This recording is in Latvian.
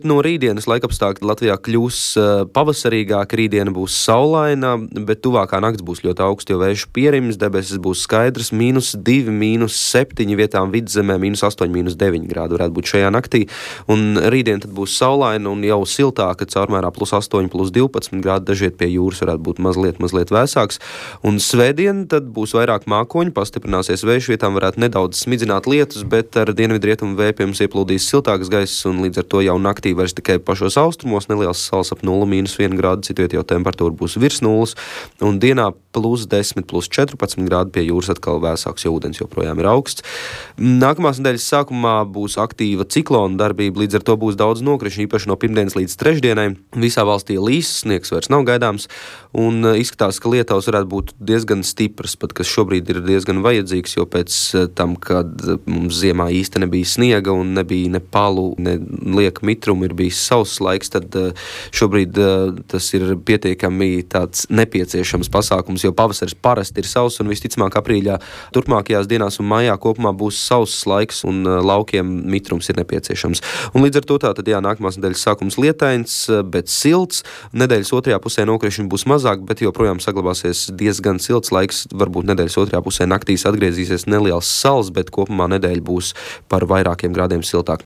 No rītdienas laikapstākļi Latvijā kļūs pavasarīgāki, rītdiena būs saulaina, bet tuvākā nakts būs ļoti augsta, jo vējš pierims, debesis būs skaidras, -2, -7, vietām vidzemē, -8, -9 grādi varētu būt šajā naktī, un rītdien tad būs saulaina un jau siltāka, caurmērā +8, +12 grādi, dažiet pie jūras varētu būt mazliet vēsāks, un svētdien tad būs vairāk mākoņu, pastiprināsies vējš, vietām varētu nedaudz smidzināt lietus, bet ar dienvidrietumu vēju pie mums ieplūdīs siltāks gaiss, un līdz ar to jau naktī vairs tikai pašos austrumos, neliels sals ap 0, -1 grādu, citviet jau temperatūra būs virs 0, un dienā +10, +14 grādi, pie jūras atkal vēsāks, jo ūdens joprojām ir augsts. Nākamās nedēļas sākumā būs aktīva ciklona darbība, līdz ar to būs daudz nokrišņu, īpaši no pirmdienas līdz trešdienai. Visā valstī līs, sniegs vairs nav gaidāms, un izskatās, ka lietaus varētu būt diezgan stipras, pat kas šobrīd ir diezgan vajadzīgs, jo pēc tam, kad mums ziemā īsti nebija sniega un nebija ne palu, ne lieka mitrumu, ir bijis sauss laiks, tad šobrīd tas ir pietiekami tāds nepieciešams pasākums, jo pavasaris parasti ir sauss un visticamāk aprīļā turpmākajās dienās un maijā kopumā būs sauss laiks un laukiem mitrums ir nepieciešams. Un līdz ar to tātad nākamās nedēļas sākums lietains, bet silts. Nedēļas otrajā pusē nokrišņi būs mazāk, bet joprojām saglabāsies diezgan silts laiks. Varbūt nedēļas otrajā pusē naktīs atgriezīsies neliels sals, bet kopumā nedēļa būs par vairākiem grādiem siltāk.